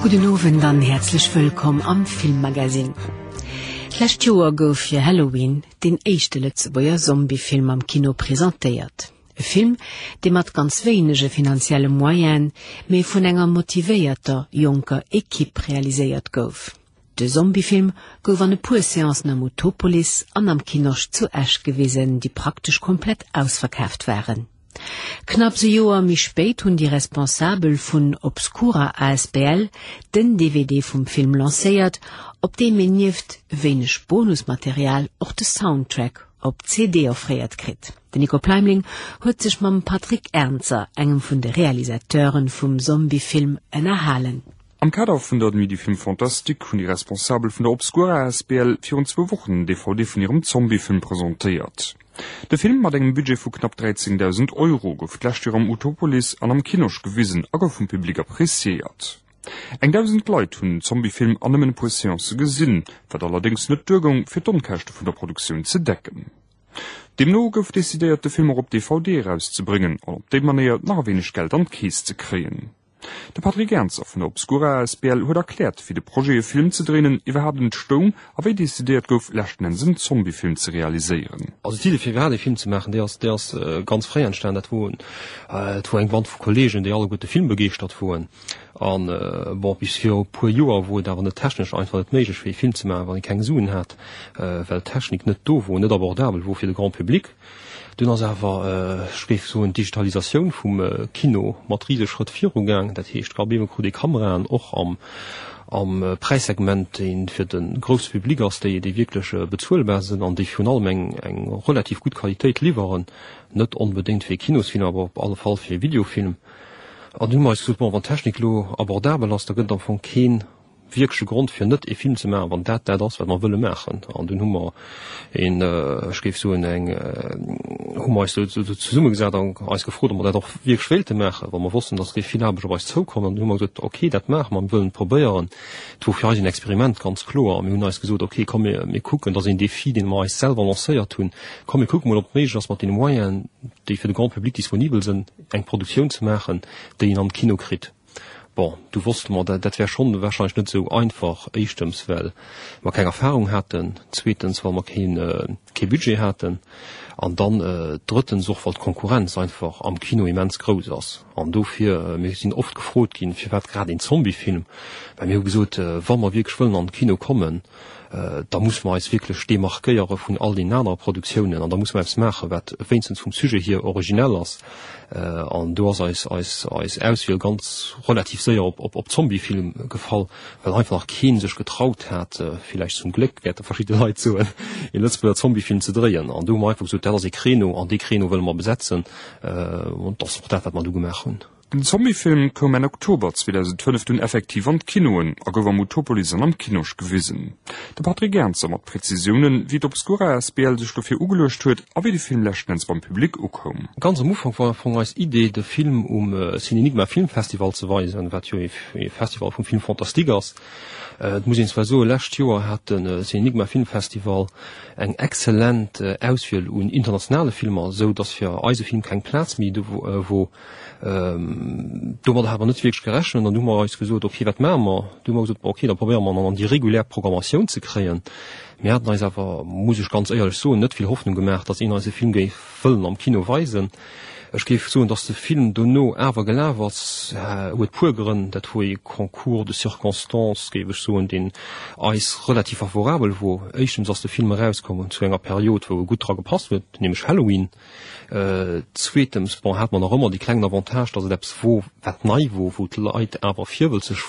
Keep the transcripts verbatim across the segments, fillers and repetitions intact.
Gudden Owend an häerzlech wëllkomm am Filmmagazine. D'lescht Joer gouf fir Halloween deen éischte Lëtzebuerger Zombiefilm am Kino presentéiert. E Film, dee mat ganz wéinege finanzielle Moyenen, mee vun enger motivéierter jonker Ekipp realiséiert gouf. De Zombiefilm gouf an e puer Seancen am Utopolis an am Kinosch zu Esch gewisen, déi praktesch komplett ausverkaaft waren. Knapps e Joer méi spéit hunn déi Responsabel vun Obscura asbl den D V D vum Film lancéiert, op deem een nieft wéineg Bonusmaterial och de Soundtrack op C D offréiert kritt. Den Nico Pleimling huet sech mam Patrick Ernzer, engem vun de Realisateuren vum Zombiefilm, ënnerhalen. Am Kader vun der Nuit du Film Fantastique hunn déi Responsabel vun der Obscura A S B L virun zwou Wochen den D V D vun hirem Zombiefilm presentéiert. De Film mat engem Budget vu knapp dräizéngdausend Euro gouf d'lescht Joer am Utopolis an am Kinosch gewisen a gouf vum Public appreciéiert. Eng dausend Leit hunn den Zombiefilm an nëmmen e puer Seancë gesinn, wat allerdéngs net duergoung, fir d'Onkäschte vun der Produktioun ze decken. Deemno gouf decidéiert, de Film och op D V D erauszebréngen an op déi Manéier nach e wéineg Geld an d'Keess ze kréien. De Patrick Ernzer vun der Obscura A S B L huet erkläert, wéi de Projet e Film ze dréinen iwwerhaapt entstoung a wéi decidéiert gouf, leschten Enns en Zombiefilm ze realiséieren. Also d'Idee fir iwwerhaapt e Film ze maachen, déi ass déi ass ganz fréi entstan. Dat wor et wor eng Band vu Kolleegen, déi alleguerte filmbegeeschtert woren. An bon, bis viru puer Joer wor et awer net technesch einfach net méiglech fir e Film ze maachen, wann ee keng Suen hat, well d'Technik net do wor, net abordabel wor fir de Grand public. Dunn ass awer, ech géif soen, d'Digitalisatioun vum Kino mat risege Schrëtt virugaang. Dat heescht, op eemol krut ee Kameraen och am am Präissegment, dee fir de grousse Public ass, déi déi wierklech bezuelbar sinn an déi virun allem eng eng relativ gutt Qualitéit liwweren, net onbedéngt fir e Kinosfilm, awer op alle Fall fir e Videofilm. An dunn hu mer eis gesot, bon, wann d'Technik elo abordabel ass, da gëtt et am Fong kee wierkleche Grond fir net e Film ze maachen, wann dat dat ass, wat mer wëlle maachen. An dunn hu mer een, ech géif soen, eng hu mer eis do zesummegesat an eis gefrot, ob mer dat och wierklech wéilte maachen, well mer wossten, datt géif vill Aarbecht op eis zoukommen. An dunn hu mer gesot, okay, dat maache mer, mir wëllen et probéieren. Et wor fir eis en Experiment, ganz kloer. A mir hunn eis gesot, okay, komm mir mir kucken, dat ass een Défi, dee mer eis selwer lancéiert hunn, komm mir kucke mol, ob et méiglech ass, mat deene Moyenen, déi fir de Grand public disponibel sinn, eng Produktioun ze maachen, déi een an de Kino kritt. Bon, du wosste mer, dat dat wär schonn warscheinlech net esou einfach, éischtens well mer keng Erfahrung haten, zweetens well mer keen kee Budget haten an dann drëttens och well d'Konkurrenz einfach am Kino immens grouss ass. An dofir, mir sinn oft gefrot ginn, firwat grad een Zombiefilm, well mir hu gesot, wa mer wierklech wëllen an de Kino kommen, da musse mer eis wierklech demarkéiere vun all deenen anere Produktiounen an da musse mer eppes maachen, wat wéinstens vum Sujet hier originell ass. An do ass eis eis eis Auswiel ganz relativ séier op op op Zombiefilm gefall, well einfach nach kee sech getraut hat, villäicht zum Gléck, wäerte verschidde Leit soen, ee Lëtzebuerger Zombiefilm ze dréien. An do hu mer einfach gesot, dat ass ee Créneau an dee Créneau wëlle mer besetzen. An dat ass och dat, wat mer du gemaach hunn. Den Zombiefilm koum Enn Oktober zweedausendfënnef dunn effektiv an d'Kinoen a gouf am Utopolis an am Kinosch gewisen. De Patrick Ernzer mat Prezisiounen, wéi d'Obscura A S B L sech dofir ugeluecht huet a wéi de Film leschten Enns beim Public ukoum. Ganz am Ufank war am Fong eis Idee, de Film um Cinénigma Filmfestival ze weisen, wat jo ee Festival vum Film fantastique ass. Et muss een zwar soen, lescht Joer hat de Cinénigma Filmfestival eng exzellent Auswiel un internationale Filmer, esou datt fir eise Film keng Plaz méi do wor. Domadder hat mer net wierklech gerechent an du hu mer eis gesot, okay, wat maache mer? Du hu mer gesot, okay, da probéiere mer en an déi regulär Programmatioun ze kréien. Mir haten eis awer, muss ech ganz éierlech soen, net vill Hoffnung gemaach, datt een eise Film géif wëllen am Kino weisen. Ech géif soen, datt de Film dono awer gelaf ass, huet puer Grënn. Dat wor ee Concours de circonstances, géif ech soen, deen eis relativ favorabel wor. Éischtens ass de Film erauskomm zu enger Period, wou e gutt dra gepasst huet, nämlech Halloween. Zweetens, bon, hat mer nach ëmmer dee klengen Avantage, datt et eppes wor, wat nei wor, wou d'Leit awer virwëlzeg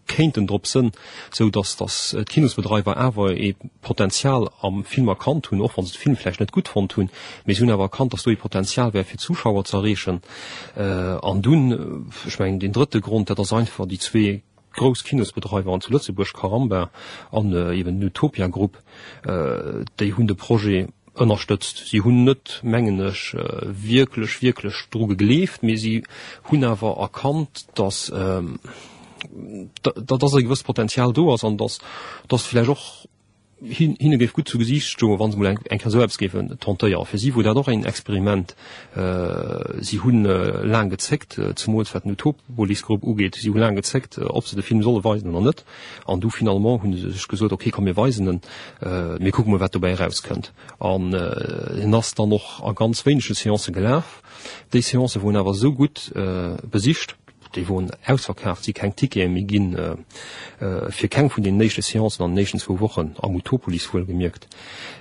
kéinten drop sënn, sou datt datt d'Kinosbedreiwer awer ee Potenzial am Film erkannt hunn, och wann se de Film vläicht net gutt fonnt hunn, mee se hunn awer erkannt, datt do ee Potenzial wär fir Zuschauer ze erreechen. An dunn, ech mengen deen drëtte Grond, dat ass einfach déi zwee grouss Kinosbedreiwer zu Lëtzebuerg, Caramba an eben den Utopia Group, déi hunn de Projet ënnerstëtzt. Si hunn net, mengen ech, wierklech, wierklech dru gegleeft, mee si hunn awer erkannt, datt datt e gewësst Potenzial do ass an datt datt vläicht och hinne géif gutt zu Gesiicht stoen, wa se mol eng Kéier esou eppes géifen tentéieren. Fir si wor dat och een Experiment. Si hu laang gezéckt, zemools wat den Utopolis-Grupp ugeet, si hu laang gezéckt, ob se de Film solle weisen oder net. An du finalement hu se sech gesot, ok, komm mir weisen en, mir kucke mol wat dobäi erauskënnt. An en ass dann och a ganz wéinege Seancë gelaf. Déi Seancë woren awer esou gutt besicht, déi woren ausverkaaft, si keng Tickete méi ginn fir keng vun deenen éischte Seancen an den éischten zwou Wochen, am Utopolis wuelgemierkt.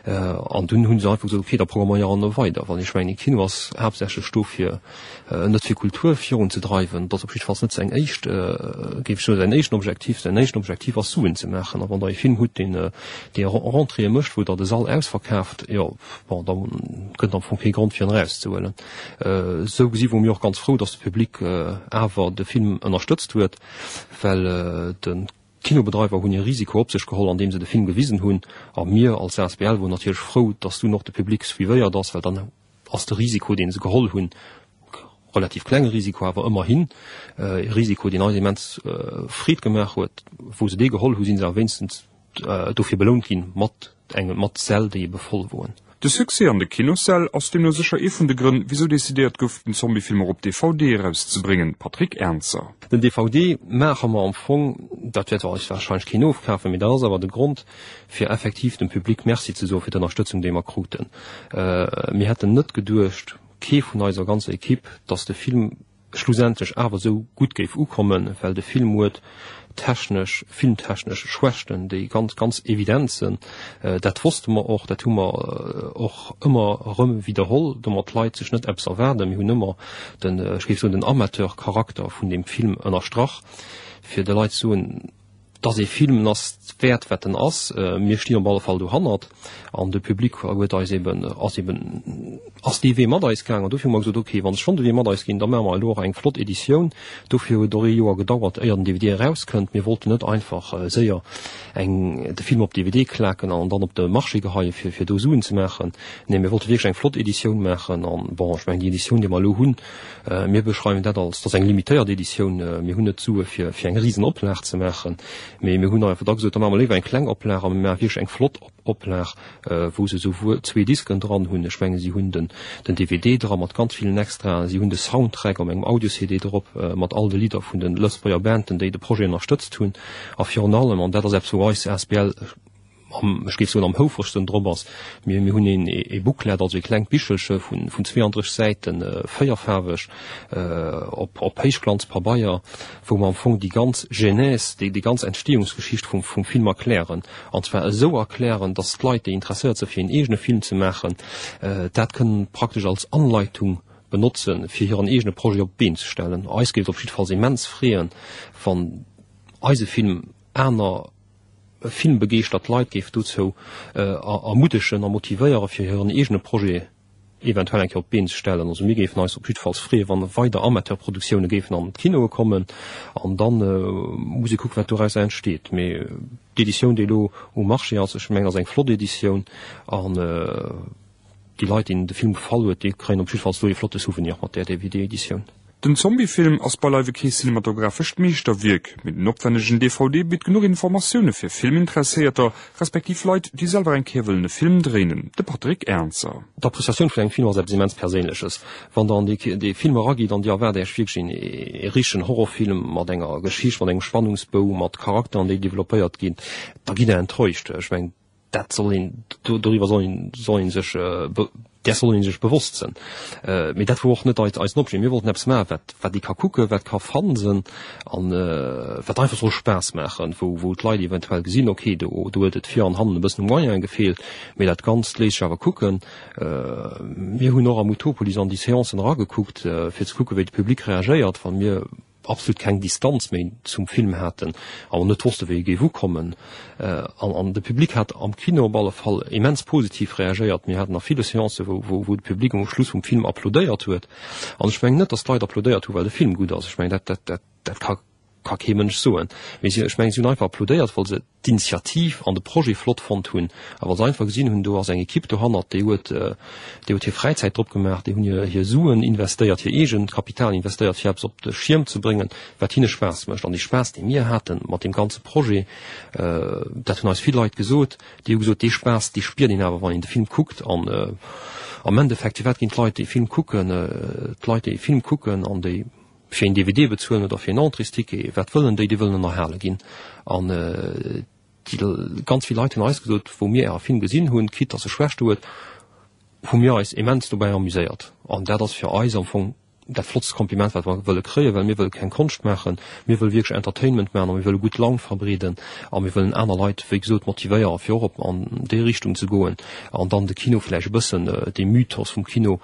An dunn hu se einfach gesot, ok, da programméiere mer weider. Well ech mengen, e Kino ass haaptsächlech do fir net fir Kultur virunzedreiwen, dat ass op jiddefalls net säin éischt, géif ech soen, säin éischten Objektiv. Säin éischten Objektiv ass Suen ze maachen. A wann Der e Film hutt, deen dee Rentréeë mécht, wou Der de Sall ausverkaaft, jo, bon, da gëtt et am Fong kee Grond fir en erauszehuelen. Esou gesi wore mir och ganz frou, datt de Public awer de Film ënnerstëtzt huet, well de Kinobedreiwer hunn hir Risiko op sech geholl, andeem se de Film gewisen hunn. A mir als asbl woren natierlech frou, datt dunn och de Public suivéiert ass, well dann ass de Risiko, dee se geholl hunn, relativ klenge Risiko, awer ëmmerhin e Risiko, deen eis immens Freed gemaach huet. Wou se dee geholl hu, si se awer wéinstens dofir belount ginn mat engem, mat Säll, déi ebe voll woen. De Succès an de Kinossäll ass deemno sécher ee vun de Grënn, wisou decidéiert gouf, den Zombiefilm och op D V D erauszebréngen. Patrick Ernzer. Den D V D maache mer am Fong, dat wäert eis warscheinlech keen ofkafen, mee dat ass awer de Grond, fir effektiv dem Public Merci ze soen fir d'Ënnerstëtzung, déi mer kruten. Mir hätten net geduecht, kee vun eiser ganzer Equipe, dass de Film schlussendlech awer esou gutt géif ukommen, well de Film huet technesch, filmtechnesch Schwächten, déi ganz, ganz evident sinn. Dat wosste mer och, dat hu mer och ëmmer erëm widderholl, domat d'Leit sech net eppes erwaarden. Mir hunn ëmmer den, ech géif soen, den Amateurcharakter vun deem Film ënnerstrach, fir de Leit ze soen, dass ee Film en ass wäert wat en ass. Mir stinn op alle Fall dohannert an de Public huet eis eben, ass eben, ass dee Wee mat eis gaang an dofir hu mer gesot, okay, wann se schonn de Wee mat eis ginn, da maache mer elo och eng flott Editioun. Dofir huet et och ee Joer gedauert, éier den D V D erauskënnt. Mir wollten net einfach séier eng, de Film op D V D klaken an dann op de Marché geheien, fir, fir do Suen ze maachen. Nee, mir wollte wierklech eng flott Editioun maachen an, bon, ech mengen déi Editioun, déi mer elo hunn, mir beschreiwen dat als, dat ass eng limitéiert Editioun. Mir hunn net d'Sue fir, fir eng Risenoplag ze maachen. Mee mir hunn einfach da gesot, da maache mer léiwer eng kleng Oplag a mir maache wierklech eng flott Oplag, wou se souwuel zwee Disken dran hunn, ech menge si hunn den den D V D dra mat ganz villen Extraen, si hunn de Soundtrack op engem Audio-C D drop mat all de Lidder vun de Lëtzebuerger Banden, déi de Projet ënnerstëtzt hunn. A virun allem, an dat ass eppes wou eis asbl am, ech géif soen, am houfregsten drop ass, mir mir hunn een e Booklet, also e klengt Bichelche vun vun zweeandrësseg Säiten, véierfaarweg, op op Héichglanzpabeier, wou mer am Fong déi ganz Genèse, déi déi ganz Entstehungsgeschicht vum vum Film erklären. An zwar esou erklären, dass d'Leit, déi interesséiert si fir een eegene Film ze maachen, dat kënnen praktesch als Anleitung benotzen, fir hiren eegene Projet op d'Been ze stellen. Eis géif et op jiddefalls immens freeën, wann eise Film aner filmbegeeschtert Leit géif dozou ermuddegen a motivéieren, fir hiren eegene Projet eventuell eng Kéier op d'Been ze stellen. Also mir géifen eis op jiddefalls freeën, wann weider Amateurproduktioune géifen an d'Kinoe kommen. An da muss ee kucken, wat dorausser entsteet. Mee d'Editioun, déi elo um Marché ass, ech mengen, ass eng flott Editioun. An déi Leit, deenen de Film gefall huet, déi kréien op jiddefalls do ee flotte Souvenir mat där D V D-Editioun. Den Zombiefilm ass beileiwe kee cinematographescht Meeschterwierk, mee den opwännegen D V D bitt genuch Informatioune fir Filminteresséierter, respektiv Leit, déi selwer eng Kéier wëllen e Film dréinen. De Patrick Ernzer. D'Appreciatioun vun engem Film ass eppes immens Perséinleches. Wann Der an dee Film eragitt an Dir erwaart Iech wierklech een ee richtegen Horrorfilm mat enger Geschicht, mat engem Spannungsbou, mat Charakteren, déi developpéiert ginn, da gitt Der enttäuscht. Ech mengen, dat soll een, doriwwer soll een, soll een sech, där soll een sech bewosst sinn. Mee dat wor och net eisen Objet. Mir wollten eppes maachen, wat, wat ee ka kucken, wat ka fun sinn an wat einfach soll Spaass maachen, wou, wou d'Leit eventuell gesinn, okay, do, do huet et vir an hannen e bëssen u Moyene gefeelt, mee dat Ganzt léisst sech awer kucken. Mir hunn och am Utopolis an déi Seancen eragekuckt, fir ze kucken, wéi de Public reagéiert, wa mir absolut keng Distanz méi zum Film haten a net wosste wéi e géif ukommen. An an de Public hat am Kino op alle Fall immens positiv reagéiert. Mir haten a ville Seancen, wou wou wou de Public um Schluss vum Film applaudéiert huet. An ech mengen net, datt d'Leit applaudéiert hu well de Film gutt ass. Ech mengen dat dat dat dat ka ka kee Mënsch soen. Mee si, ech mengen, si hunn einfach applaudéiert, well se d'Initiativ an de Projet flott fonnt hunn a well se einfach gesinn hunn, do ass eng Ekipp dohannert, déi huet, déi huet hir Fräizäit drop gemaach, déi hunn hir, hir Suen investéiert, hir eegent Kapital investéiert, fir eppes op de Schierm ze bréngen, wat hinne Spaass mécht. An dee Spaass, dee mir hate mat deem ganze Projet, dat hunn eis vill Leit gesot, déi hu gesot, dee Spaass, dee spiert een awer, wann een de Film kuckt. An am Endeffekt, firwat ginn d'Leit dee Film kucken? D'Leit, déi e Film kucken an déi fir een D V D bezuelen oder fir een Entréesticket, wat wëllen déi? Déi wëllen ënnerhale ginn. An déi ganz vill Leit hunn eis gesot, wou mir äre Film gesinn hunn, quitte dass e Schwächte huet, hu mir eis immens dobäi amuséiert. An dat ass fir eis am Fong dat flottst Kompliment, wat mer wëlle kréien, well mir wëlle keng Konscht maachen, mir wëlle wierklech Entertainment maachen a mir wëlle gutt Laun verbreeden a mir wëllen aner Leit, wéi gesot, motivéieren, fir och op an déi Richtung ze goen an dann de Kino vläicht e bëssen, dee Mythos vum Kino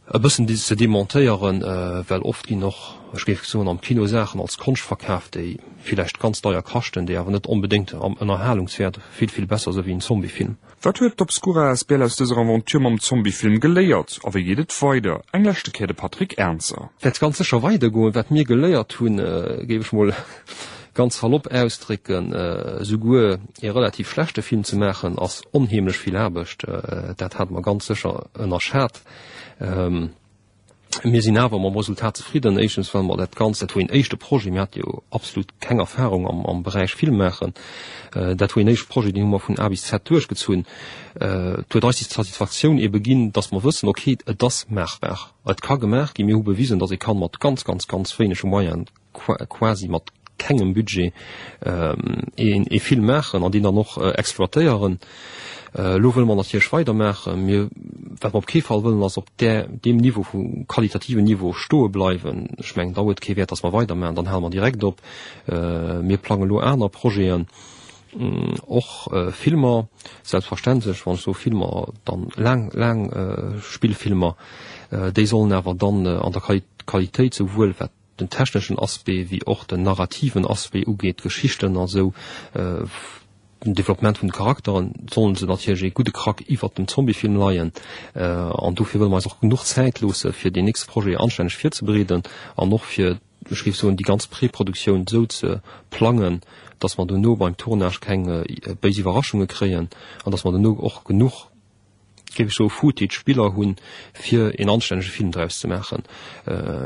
e bëssen ze demontéieren, well oft ginn och, ech géif soen, am Kino Saachen als Konscht verkaaft, déi villäicht ganz deier kaschten, déi awer net onbedéngt am Ënnerhalungswäert vill, vill besser si wéi en Zombiefilm. Wat huet d'Obscura asbl aus dëser Aventure mam Zombiefilm geléiert a wéi geet et weider? Eng leschte Kéier de Patrick Ernzer. Wäert ganz sécher weidergoen. Wat mir geléiert hunn, géif ech mol ganz salopp ausdrécken, esouguer ee relativ schlechte Film ze maachen, ass onheemlech vill Aarbecht. Dat hate mer ganz sécher ënnerschat. Mir sinn awer mam Resultat zefridden, éischtens well mer dat Ganzt, dat wor een éischte Projet, mir hate jo absolut keng Erfahrung am, am Beräich Film maachen, dat wor een éischte Projet, deen hu mer vun A bis Z duerchgezunn. Et huet eis déi Satisfaktioun ebe ginn, datt mer wëssen, okay, et ass maachbar, et ka gemaach ginn, mir hu bewisen, datt ee kann mat ganz, ganz, ganz wéinege Moyenen, quasi mat kengem Budget, een ee Film maachen an deen dann och exploitéieren. Elo wëlle mer natierlech weidermaachen. Mir, wat mer op kee Fall wëllen, ass op där, deem Niveau vu qualitativen Niveau stoe bleiwen. Ech mengen, da huet kee Wäert, datt mer weidermaachen, dann hale mer direkt op. Mir plangen elo aner Projeten, och Filmer, selbstverständlech, wann ech soe Filmer, dann laang, laang Spillfilmer. Déi sollen awer dann an der Qualitéit souwuel wat den techneschen Aspect wéi och den narrativen Aspect ugeet, d'Geschichten a sou, den Développement vun de Charakteren, sollen se natierlech ee gudde Krack iwwert dem Zombiefilm leien. An dofir wëlle mer eis och genuch Zäit loosse fir deen nächste Projet anstänneg virzebereeden an och fir, ech géif soen, déi ganz Preproduktioun esou ze plangen, dass mer dono beim Tournage keng béis Iwwerraschunge kréien an dass mer dono och genuch, géif ech soen, Footage, Biller hunn, fir een anstännege Film draus ze maachen.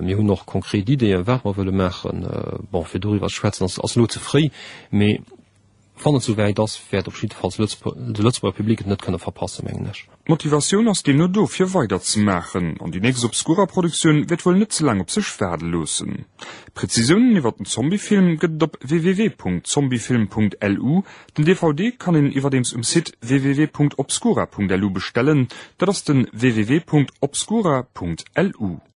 Mir hunn och konkret Ideeën, wat mer wëlle maachen. Bon, fir doriwwer ze schwätzen, ass ass elo ze fréi, mee wann et souwäit ass, wäert op jiddefalls de Lëtzebuerger Public et net kënne verpassen, mengen ech. D'Motivatioun ass deemno do, fir weider ze maachen, an déi nächst Obscura-Produktioun wäert wuel net ze laang op sech waarde loossen. Prezisiounen iwwer den Zombiefilm gëtt et op www punkt zombiefilm punkt lu. Den D V D kann een iwwerdeems um Site www punkt obscura punkt lu bestellen, dat ass den www punkt obscura punkt lu.